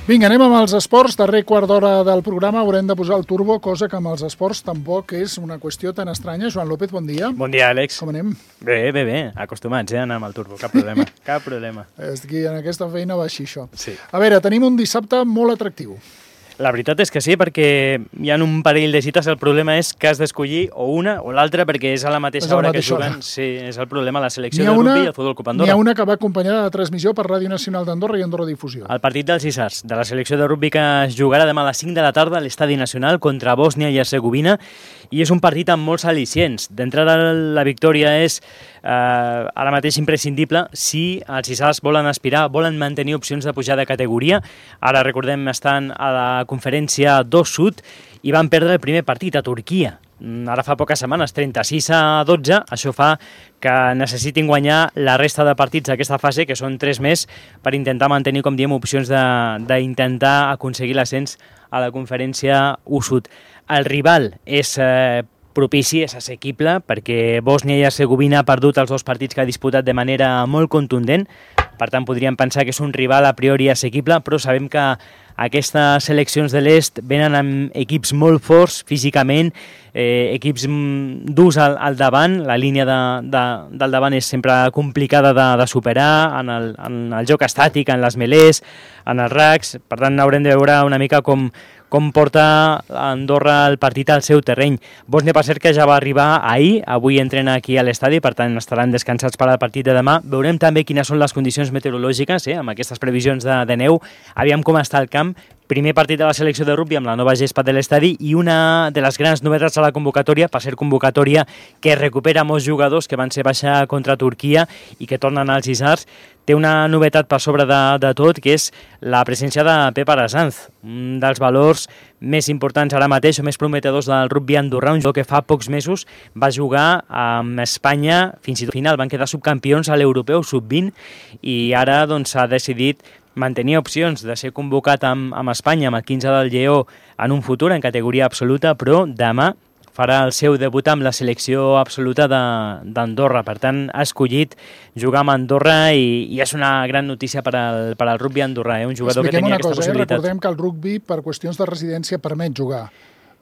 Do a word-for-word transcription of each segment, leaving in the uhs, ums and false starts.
Vinga, anem amb els esports. Darrer quart d'hora del programa haurem de posar el turbo, cosa que amb els esports tampoc és una qüestió tan estranya. Joan López, bon dia. Bon dia, Àlex. Com anem? Bé, bé, bé. Acostumats, eh, a anar amb el turbo. Cap problema. Cap problema. Aquí, en aquesta feina va així, això. Sí. A veure, tenim un dissabte molt atractiu. La veritat és que sí, perquè hi ha un parell de cites. El problema és que has d'escollir o una o l'altra, perquè és a la mateixa És a la hora que mateixa juguen. hora. Sí, és el problema. La selecció N'hi de ha una- rugby i el Futbol Club N'hi Andorra. ha una que va acompanyada de transmissió per Ràdio Nacional d'Andorra i Andorra Difusió. El partit dels Isars, de la selecció de rugby, que es jugarà demà a les cinc de la tarda a l'Estadi Nacional contra Bòsnia i Hercegovina, i és un partit amb molts al·licients. D'entrada, la victòria és eh, ara mateix imprescindible si els Isars volen aspirar, volen mantenir opcions de pujar de categoria. Ara, recordem, estan a la conferència dos Sud i van perdre el primer partit a Turquia. Ara fa poques setmanes, trenta-sis a dotze, això fa que necessitin guanyar la resta de partits d'aquesta fase, que són tres més, per intentar mantenir, com diem, opcions d'intentar aconseguir l'ascens a la conferència u Sud. El rival és eh, propici, és assequible, perquè Bòsnia i Hercegovina ha perdut els dos partits que ha disputat de manera molt contundent, per tant podríem pensar que és un rival a priori assequible, però sabem que aquestes seleccions de l'est venen amb equips molt forts físicament, eh, equips durs al, al davant, la línia de, de, del davant és sempre complicada de, de superar, en el, en el joc estàtic, en les melés, en els racks, per tant haurem de veure una mica com, com porta Andorra el partit al seu terreny. Bòsnia, per cert, que ja va arribar ahir, avui entrena aquí a l'estadi, per tant estaran descansats per al partit de demà. Veurem també quines són les condicions meteorològiques, eh, amb aquestes previsions de, de neu, aviam com està el camp. Primer partit de la selecció de rugby amb la nova gespa de l'estadi i una de les grans novetats a la convocatòria, per ser convocatòria que recupera molts jugadors que van ser baixa contra Turquia i que tornen als Isars, té una novetat per sobre de, de tot, que és la presència de Pep Arasanz, un dels valors més importants ara mateix o més prometedors del rugby andorrà, un jugador que fa pocs mesos va jugar amb Espanya fins i tot final, van quedar subcampions a l'europeu sub vint i ara doncs s'ha decidit mantenir opcions de ser convocat amb, amb Espanya, amb el quinze del Lleó, en un futur, en categoria absoluta, però demà farà el seu debut amb la selecció absoluta d'Andorra. Per tant, ha escollit jugar amb Andorra i, i és una gran notícia per al, per al rugby andorrà, eh? Un jugador Expliquem que tenia una aquesta cosa, possibilitat. Eh? Recordem que el rugby, per qüestions de residència, permet jugar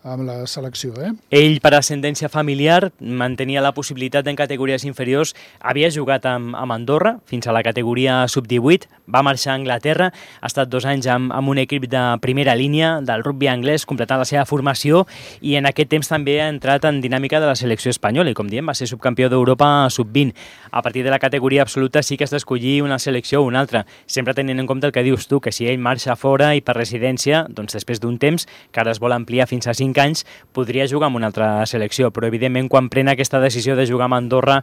amb la selecció, eh? Ell, per ascendència familiar, mantenia la possibilitat en categories inferiors. Havia jugat amb, amb Andorra fins a la categoria sub divuit, va marxar a Anglaterra, ha estat dos anys amb, amb un equip de primera línia del rugby anglès, completant la seva formació, i en aquest temps també ha entrat en dinàmica de la selecció espanyola, i com diem, va ser subcampió d'Europa sub vint. A partir de la categoria absoluta sí que has d'escollir una selecció o una altra, sempre tenint en compte el que dius tu, que si ell marxa fora i per residència, doncs després d'un temps, que ara es vol ampliar fins a cinc anys, podria jugar amb una altra selecció, però evidentment quan pren aquesta decisió de jugar amb Andorra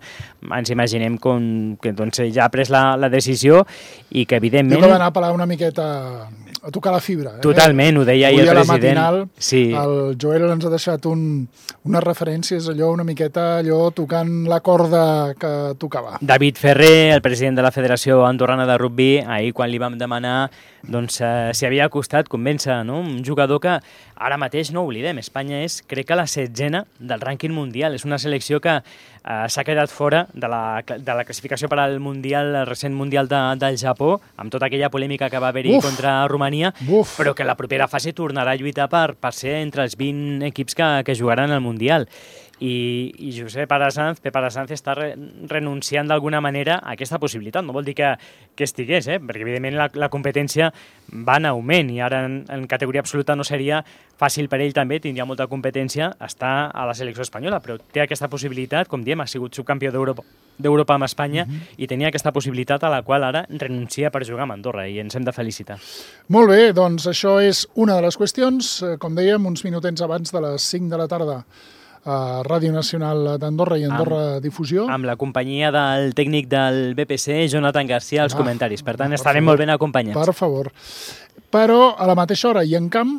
ens imaginem com, que doncs, ja ha pres la, la decisió i que evidentment... Jo que va anar a parar una miqueta a tocar la fibra. Eh? Totalment, ho deia ahir el president. Matinal, sí. El Joel ens ha deixat un, unes referències, allò una miqueta allò tocant la corda que tocava. David Ferrer, el president de la Federació Andorrana de Rugby, ahir quan li vam demanar doncs, eh, si havia costat convèncer, no? Un jugador que ara mateix, no ho oblidem, Espanya és, crec que la setzena del rànquing mundial. És una selecció que eh, s'ha quedat fora de la, de la classificació per al mundial, el recent mundial de, del Japó, amb tota aquella polèmica que va haver-hi contra Romania, Uf. però que la propera fase tornarà a lluitar per, per ser entre els vint equips que, que jugaran al mundial. I, i Josep Arasanz, Pep Arasanz està re, renunciant d'alguna manera a aquesta possibilitat. No vol dir que, que estigués, eh? Perquè evidentment la, la competència va en augment i ara en, en categoria absoluta no seria fàcil per ell també, tindria molta competència estar a la selecció espanyola, però té aquesta possibilitat, com diem, ha sigut subcampió d'Europa d'Europa amb Espanya uh-huh. i tenia aquesta possibilitat a la qual ara renuncia per jugar amb Andorra i ens hem de felicitar. Molt bé, doncs això és una de les qüestions, com dèiem, uns minutets abans de les cinc de la tarda a Ràdio Nacional d'Andorra i Andorra amb, Difusió. Amb la companyia del tècnic del B P C, Jonathan Garcia, als ah, comentaris. Per tant, per estarem favor, molt ben acompanyats. Per favor. Però a la mateixa hora i en camp,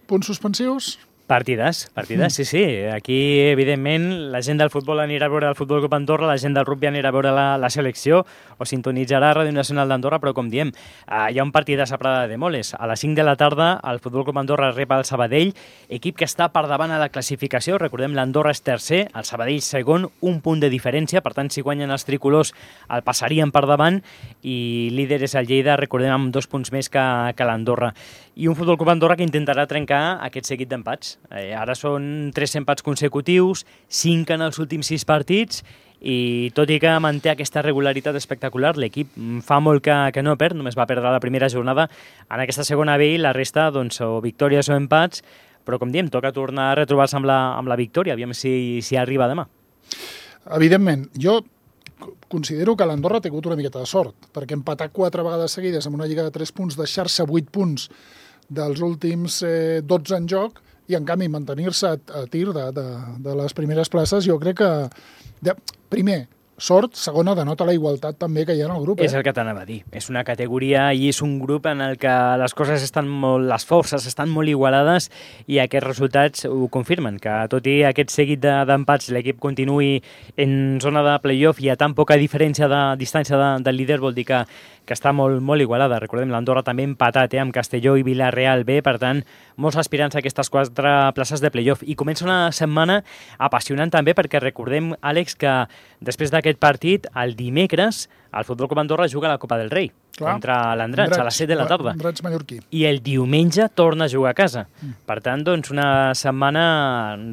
punts suspensius... Partides, partides, sí, sí. Aquí, evidentment, la gent del futbol anirà a veure el Futbol Club Andorra, la gent del rugby anirà a veure la, la selecció o sintonitzarà Ràdio Nacional d'Andorra, però com diem, uh, hi ha un partidàs a Prada de Moles. A les cinc de la tarda, el Futbol Club Andorra rep el Sabadell, equip que està per davant a la classificació. Recordem, l'Andorra és tercer, el Sabadell segon, un punt de diferència, per tant, si guanyen els tricolors el passarien per davant, i líder és el Lleida, recordem, amb dos punts més que, que l'Andorra. I un Futbol Club Andorra que intentarà trencar aquest seguit d'empats. Eh, ara són tres empats consecutius, cinc en els últims sis partits, i tot i que manté aquesta regularitat espectacular, l'equip fa molt que, que no perd, només va perdre la primera jornada. En aquesta segona ve i la resta, doncs, o victòries o empats, però com diem, toca tornar a retrobar-se amb la, amb la victòria, aviam si, si arriba demà. Evidentment, jo considero que l'Andorra ha tingut una miqueta de sort, perquè empatar quatre vegades seguides amb una lliga de tres punts, deixar-se vuit punts dels últims eh, dotze en joc, i en canvi mantenir-se a, a tir de, de, de les primeres places, jo crec que, de, primer, sort, segona, denota la igualtat també que hi ha en el grup. Eh? És el que t'anava a dir. És una categoria i és un grup en el que les coses estan molt, les forces estan molt igualades, i aquests resultats ho confirmen, que tot i aquest seguit d'empats de, l'equip continuï en zona de play-off i a tan poca diferència de distància de, del líder, vol dir que, que està molt, molt igualada. Recordem, l'Andorra també empatat eh, amb Castelló i Villarreal B, per tant, molts aspirants a aquestes quatre places de play-off. I comença una setmana apassionant també, perquè recordem, Àlex, que després d'aquest partit, el dimecres, el Futbol Club Andorra juga a la Copa del Rei. Clar. Contra l'Andratx, a les set de la tarda. Andratx mallorquí. I el diumenge torna a jugar a casa. Mm. Per tant, doncs, una setmana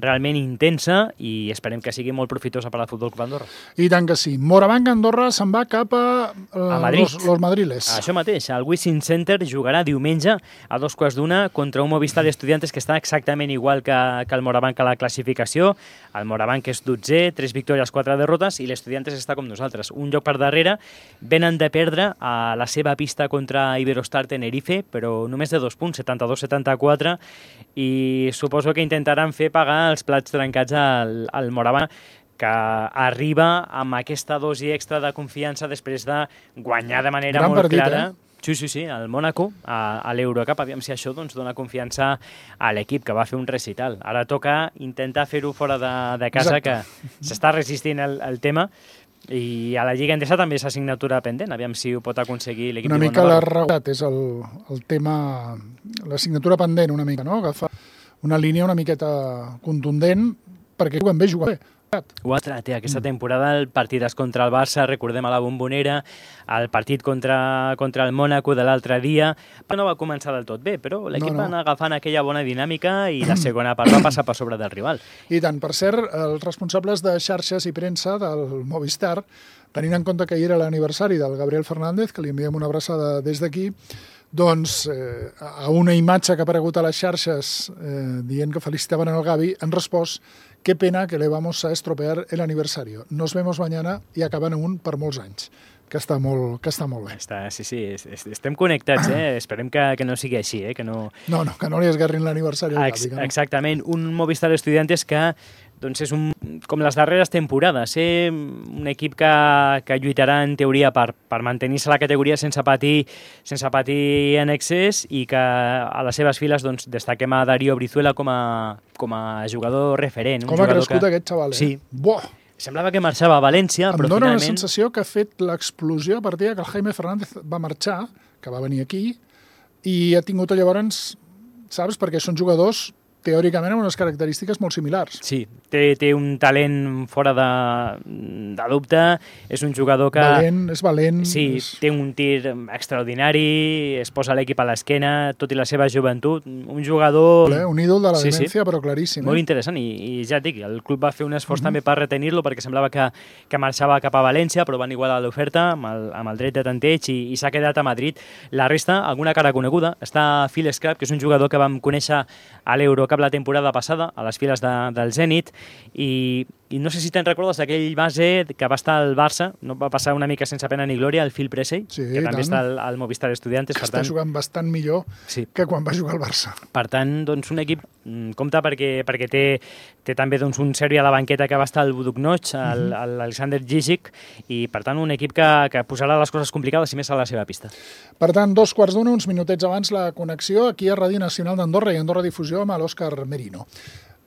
realment intensa, i esperem que sigui molt profitosa per al Futbol Club Andorra. I tant que sí. Morabanc Andorra se'n va cap a, uh, a Madrid. Los, los Madriles. Això mateix. El Wizzing Center jugarà diumenge a dos quarts d'una contra un Movistar Estudiantes que està exactament igual que, que el Morabanc a la classificació. El Morabanc és dotzè, tres victòries, quatre derrotes, i l'Estudiantes està com nosaltres. Un lloc per darrere. Venen de perdre a la seva pista contra Iberostar Tenerife, però només de dos punts, setanta-dos setanta-quatre, i suposo que intentaran fer pagar els plats trencats al, al Morabanc, que arriba amb aquesta dosi extra de confiança després de guanyar de manera Gran molt partit, clara. Eh? Sí, sí, sí, al Mònaco, a, a l'Eurocup, aviam si això doncs, dona confiança a l'equip, que va fer un recital. Ara toca intentar fer-ho fora de, de casa, Exacte. Que s'està resistint el, el tema, i a la Lliga Endesa també és assignatura pendent, aviam si ho pot aconseguir l'equip de Una mica Bonavent. la regularitat és el, el tema, l'assignatura pendent una mica, no? Agafar una línia una miqueta contundent, perquè juguen bé, juguen bé. Ho ha tret, eh? Aquesta temporada, el partit contra el Barça, recordem a la Bombonera, el partit contra, contra el Mònaco de l'altre dia, no va començar del tot bé, però l'equip no, no. va anar agafant aquella bona dinàmica i la segona part va passar per sobre del rival. I tant, per cert, els responsables de xarxes i premsa del Movistar, tenint en compte que hi era l'aniversari del Gabriel Fernández, que li enviem una abraçada des d'aquí, doncs eh, a una imatge que ha aparegut a les xarxes eh, dient que felicitaven el Gavi, han respost: qué pena que le vamos a estropear el aniversario. Nos vemos mañana, i acaben un per molts anys, que està molt, que està molt bé. Està, sí, sí, estem connectats, eh? Esperem que, que no sigui així, eh? Que no... No, no, que no li esgarrin l'aniversari al Gavi. No? Exactament, un Movistar Estudiantes que doncs és un, com les darreres temporades, eh? Un equip que, que lluitarà en teoria per, per mantenir-se a la categoria sense patir, sense patir en excés, i que a les seves files doncs, destaquem a Darío Brizuela com a, com a jugador referent. Com ha crescut que... aquest xaval, eh? Sí. Buah! Semblava que marxava a València, em però dóna finalment... una sensació que ha fet l'explosió a partir que el Jaime Fernández va marxar, que va venir aquí, i ha tingut llavors, saps, perquè són jugadors teòricament amb unes característiques molt similars. Sí, té, té un talent fora de, de dubte, és un jugador que... Valent, és valent. Sí, és... té un tir extraordinari, es posa l'equip a l'esquena, tot i la seva joventut, un jugador... Un ídol de la sí, demència, sí. però claríssim. Molt eh? interessant, i, i ja et dic, el club va fer un esforç uh-huh. també per retenir-lo, perquè semblava que, que marxava cap a València, però van igualar l'oferta amb, el, amb el dret de tanteig, i, i s'ha quedat a Madrid. La resta, alguna cara coneguda, està Phil Scrap, que és un jugador que vam conèixer a l'Eurocup la temporada passada, a les files de, del Zenit, i i no sé si te'n recordes d'aquell base que va estar al Barça, no va passar una mica sense pena ni glòria, el Phil Pressey, sí, que també tant. està al, al Movistar Estudiantes. Que per està tant, jugant bastant millor sí. que quan va jugar al Barça. Per tant, doncs, un equip mm, compta perquè, perquè té, té també doncs, un Serbi a la banqueta que va estar al Buduknoch, Mhm. l'Alexander Djigic, i per tant un equip que, que posarà les coses complicades i més a la seva pista. Per tant, dos quarts d'una, uns minutets abans la connexió aquí a Ràdio Nacional d'Andorra i Andorra Difusió amb l'Òscar Merino.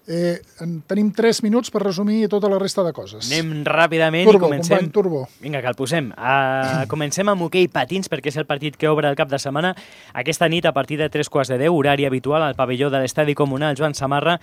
Eh, en tenim tres minuts per resumir tota la resta de coses. Anem ràpidament turbo, i comencem... Company, turbo. Vinga, que el posem. Uh, comencem amb hoquei patins, perquè és el partit que obre el cap de setmana. Aquesta nit, a partir de tres quarts de deu, horari habitual al pavelló de l'Estadi Comunal Joan Samarra,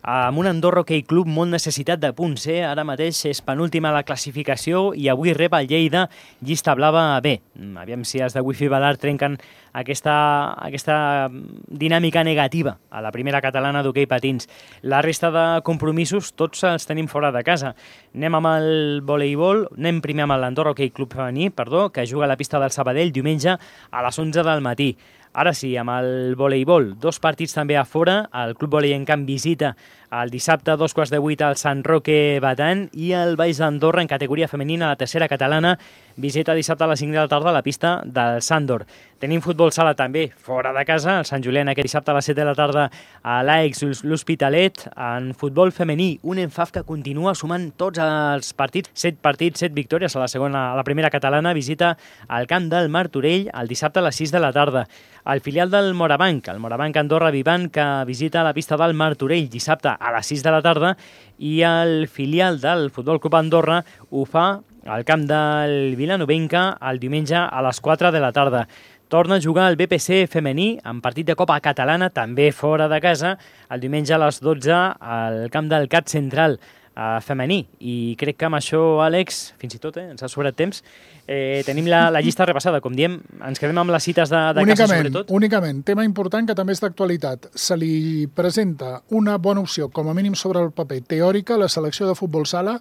amb un Andorra Hockey Club molt necessitat de punts. Eh? Ara mateix és penúltima a la classificació i avui rep el Lleida llista blava B. Aviam si els de Wifi Badar trenquen aquesta, aquesta dinàmica negativa a la primera catalana d'hoquei patins. La resta de compromisos tots els tenim fora de casa. Anem amb el voleibol, anem primer amb l'Andorra Hockey Club femení, perdó, que juga a la pista del Sabadell diumenge a les onze del matí. Ara sí, amb el voleibol, dos partits també a fora. El Club Volei en Camp visita el dissabte a dos quarts de vuit al Sant Roque Batan i el Baix d'Andorra en categoria femenina, la tercera catalana, visita dissabte a les cinc de la tarda a la pista del Sàndor. Tenim futbol sala també fora de casa, el Sant Julián aquest dissabte a les set de la tarda a l'A E X l'Hospitalet. En futbol femení, un Enfaf que continua sumant tots els partits, set partits, set victòries a la segona, a la primera catalana, visita al camp del Martorell el dissabte a les sis de la tarda. El filial del Morabanc, el Morabanc Andorra Vivant, que visita la pista del Martorell dissabte a les sis de la tarda, i el filial del Futbol Club Andorra ho fa al camp del Vilanovenca el diumenge a les quatre de la tarda. Torna a jugar el B P C femení en partit de Copa Catalana, també fora de casa, el diumenge a les dotze al camp del C A T Central eh, femení. I crec que amb això, Àlex, fins i tot, eh, ens ha sobrat temps, eh, tenim la, la llista repassada. Com diem, ens quedem amb les cites de, de casa, sobretot. Únicament, tema important que també és d'actualitat. Se li presenta una bona opció, com a mínim sobre el paper, teòrica, a la selecció de futbol sala,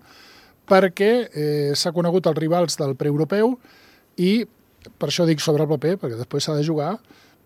perquè eh, s'ha conegut els rivals del preeuropeu i, per això dic sobre el paper, perquè després s'ha de jugar,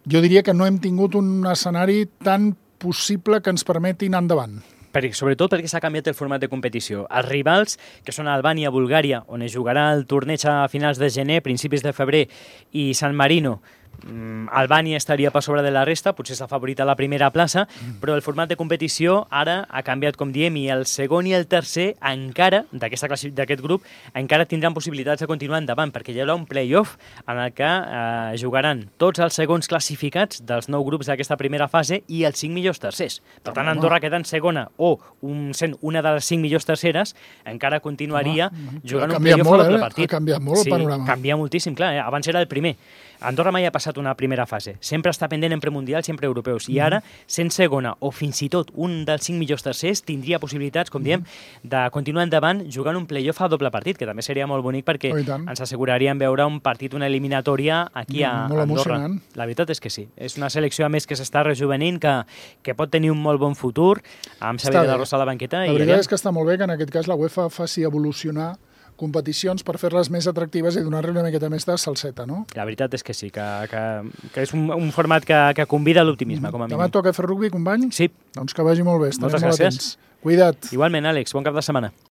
jo diria que no hem tingut un escenari tan possible que ens permeti anar endavant. Per, sobretot perquè s'ha canviat el format de competició. Els rivals, que són Albània, Bulgària, on es jugarà el torneig a finals de gener, principis de febrer, i San Marino, Albània estaria per sobre de la resta, potser s'ha favorit a la primera plaça, però el format de competició ara ha canviat, com diem, i el segon i el tercer encara, d'aquest grup, encara tindran possibilitats de continuar endavant, perquè hi haurà un play-off en el que eh, jugaran tots els segons classificats dels nou grups d'aquesta primera fase i els cinc millors tercers. Per tant, Andorra queda en segona o un, sent una de les cinc millors terceres, encara continuaria Home, jugant un play-off a doble partit. Ha canviat molt sí, el panorama. Canvia moltíssim, clar, eh? Abans era el primer. Andorra mai ha passat una primera fase. Sempre està pendent en premundials i en preeuropeus. I ara, sent segona o fins i tot un dels cinc millors tercers, tindria possibilitats, com diem, de continuar endavant jugant un play-off a doble partit, que també seria molt bonic perquè oh, ens asseguraríem veure un partit, una eliminatòria aquí a molt Andorra. Emocionant. La veritat és que sí. És una selecció, a més, que s'està rejuvenint, que, que pot tenir un molt bon futur, amb Xavier de la Rosa a la banqueta. La i veritat allà... és que està molt bé que en aquest cas la UEFA faci evolucionar competicions per fer-les més atractives i donar-li una miqueta més de salseta, no? La veritat és que sí, que, que, que és un, un format que, que convida a l'optimisme, com a mínim. Demà toca fer rugby, company? Sí. Doncs que vagi molt bé, estarem Moltes molt gràcies. atents. Cuida't. Igualment, Àlex, bon cap de setmana.